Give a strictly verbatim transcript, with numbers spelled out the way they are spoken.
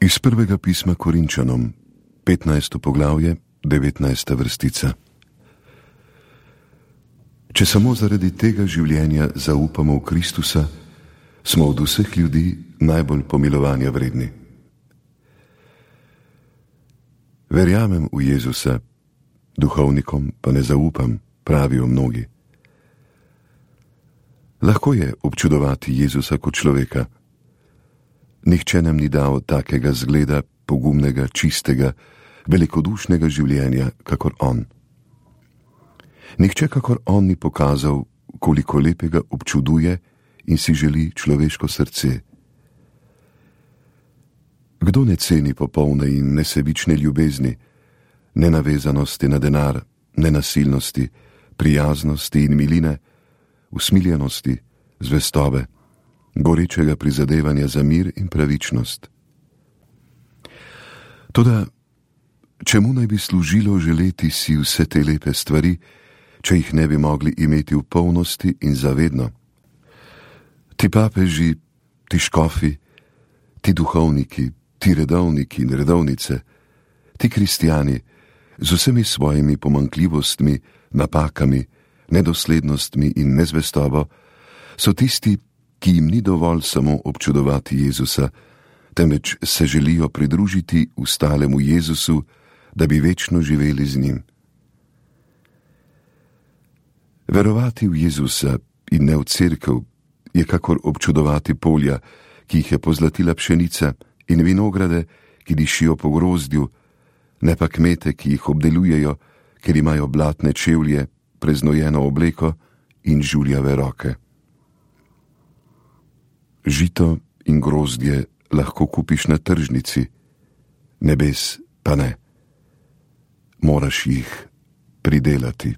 Iz prvega pisma Korinčanom, petnajsto poglavje, devetnajsta vrstica. Če samo zaradi tega življenja zaupamo v Kristusa, smo od vseh ljudi najbolj pomilovanja vredni. Verjamem v Jezusa, duhovnikom pa ne zaupam, pravijo mnogi. Lahko je občudovati Jezusa kot človeka. Nihče nam ni dal takega zgleda, pogumnega, čistega, velikodušnega življenja, kakor on. Nihče kakor on ni pokazal, koliko lepega občuduje in si želi človeško srce. Kdo ne ceni popolne in nesebične ljubezni, nenavezanosti na denar, nenasilnosti, prijaznosti in miline, usmiljenosti, zvestobe, gorečega prizadevanja za mir in pravičnost? Toda, čemu naj bi služilo želeti si vse te lepe stvari, če jih ne bi mogli imeti v polnosti in zavedno? Ti papeži, ti škofi, ti duhovniki, ti redovniki in redovnice, ti kristjani z vsemi svojimi pomanjkljivostmi, napakami, nedoslednostmi in nezvestobo so tisti, ki jim ni dovolj samo občudovati Jezusa, temveč se želijo pridružiti ustalemu Jezusu, da bi večno živeli z njim. Verovati v Jezusa in ne v cerkev je kakor občudovati polja, ki jih je pozlatila pšenica, in vinograde, ki dišijo po grozdju, ne pa kmete, ki jih obdelujejo, ker imajo blatne čevlje, preznojeno obleko in žuljave roke. Žito in grozdje lahko kupiš na tržnici, nebes pa ne. Moraš jih pridelati.